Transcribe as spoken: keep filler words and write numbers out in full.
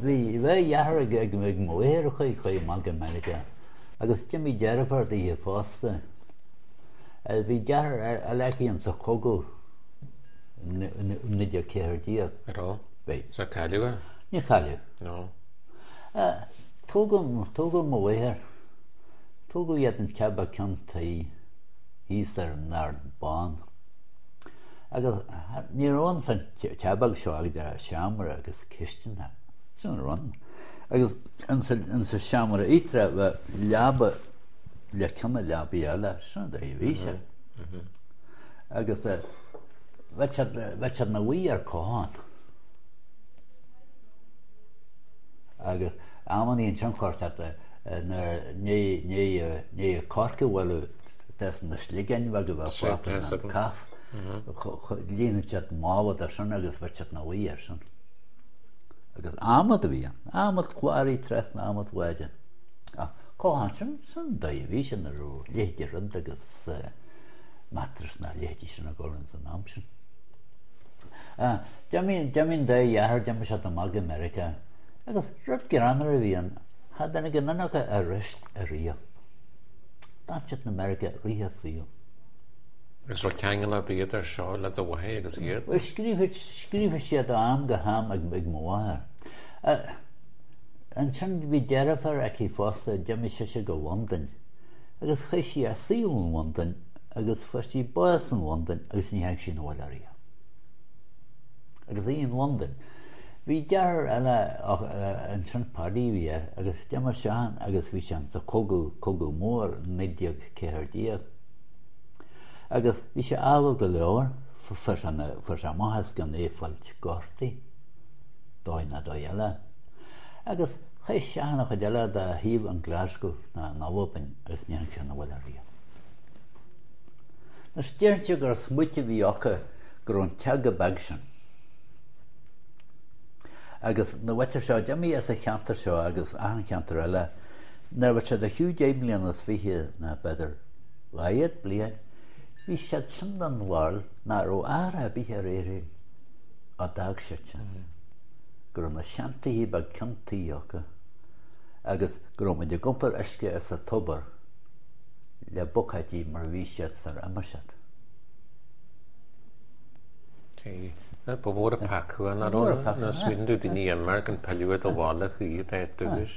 Bhí dhá dheartháir ag ag ag mo mháthair a chuaigh chuaigh amach go Meiriceá agus d'imigh deirfiúr daoithe fosta. Bhí deartháir eile aici insa chogadh naoi déag ceathair déag. Ar raibh? Bhí. Is ar cailleadh é? Níor cailleadh. No. Tógadh tógadh mo mháthair, tógadh iad in teach beag ceann tuí thíos ar an Ard Bán. Agus ní raibh ann san teach beag seo ach idir seomra agus cistin. Sin a raibh ann. Agus insa seomra íochtarach bheadh leaba le ceann na leabaí eile, sin an dóigh a bhí sé. Agus bheadh siad bheadh siad ina luí ar cothán. Agus amannaí ansin chuir siad nuair ndiaidh corc a bhualadh des na sligeáin bheaga a bheadh fágtha an caife, líonadh siad mála de sin agus bheadh siad ina luí air sin. Agus adhmad a bhí ann, adhmad cláraí trasna adhmad bháide. Ach cothán sin, sin an dóigh a bhí sé ní raibh leithéidí rud agus mattress ná a leithéidí sin ag dul ins an am sin. D'imigh an dá dheartháir, d'imigh siad amach go Meiriceá agus rud greannmhar a bhí ann, cha dtáinig aon duine acu arís ariamh. D'fhan siad in Meiriceá rith a saoil. Agus raibh ceangal ar bith idir seo le do mháthair agus iad? Bhuel, scríobhadh, scríobhadh siad ó am go ham ag, ag mo mháthair. Ansin bhí deirfiúr aici fosta, d'imigh sise go Londain agus chaith sí a saol in Londain agus fuair sí bás in Londain agus ní tháinig sí 'na bhaile ariamh. Agus í in Londain. Bhí deartháir eile ansin, Paddy a bhí air, agus d'imigh seisean agus bhí sé insa chogadh, cogadh mór, naoi déag ceathair déag. Agus bhí sé ádhúil go leor, fuair sé, fuair sé amach as gan é fáilt gortaithe, dóigh ná dóigh eile. Agus chaith seisean an chuid eile dá shaol in Glasgow ná in Albain agus ní tháinig sé 'na bhaile ariamh. Anois déarfainnse gur smaoiteamh a bhí acu go raibh an teach chomh beag sin. Agus na mhuintir seo, d'imigh as an cheantar seo agus achan cheantar eile, nuair a bheadh siad ar shiúl deich mbliana is fiche ná b'fhéidir dhá fhichead bliain, bhí siad sin den bharúil nach raibh athrú ar bith ar Éirinn ó d'fhág siad sin, go raibh na seantithe beag ceann tuí acu agus go raibh muid ag iompar uisce as an tobar le buicéidí mar a bhí siad sar imigh siad. Ba mhór an peaca an, nach raibh? Nuair a smaoiníonn tú daoine imirce an pilleadh ar do bhaile chuiche d'áit dúchais.